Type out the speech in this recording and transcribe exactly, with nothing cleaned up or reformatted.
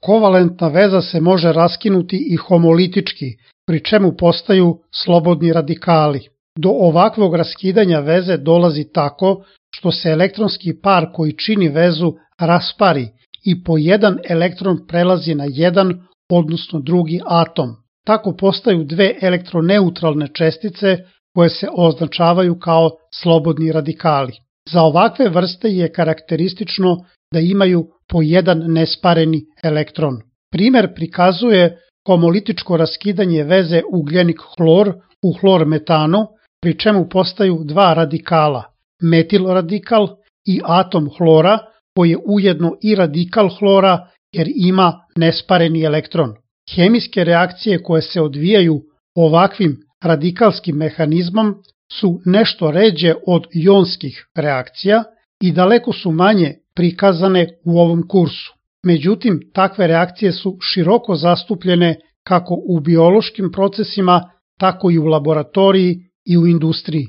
Kovalentna veza se može raskinuti i homolitički, pri čemu postaju slobodni radikali. Do ovakvog raskidanja veze dolazi tako što se elektronski par koji čini vezu raspari i po jedan elektron prelazi na jedan, odnosno drugi atom. Tako postaju dve elektroneutralne čestice koje se označavaju kao slobodni radikali. Za ovakve vrste je karakteristično da imaju po jedan nespareni elektron. Primer prikazuje homolitičko raskidanje veze ugljenik-hlor u hlor-metanu, pri čemu postaju dva radikala, metil radikal i atom hlora, koji je ujedno i radikal hlora jer ima nespareni elektron. Hemijske reakcije koje se odvijaju ovakvim radikalskim mehanizmom su nešto ređe od jonskih reakcija i daleko su manje prikazane u ovom kursu. Međutim, takve reakcije su široko zastupljene kako u biološkim procesima, tako i u laboratoriji i u industriji.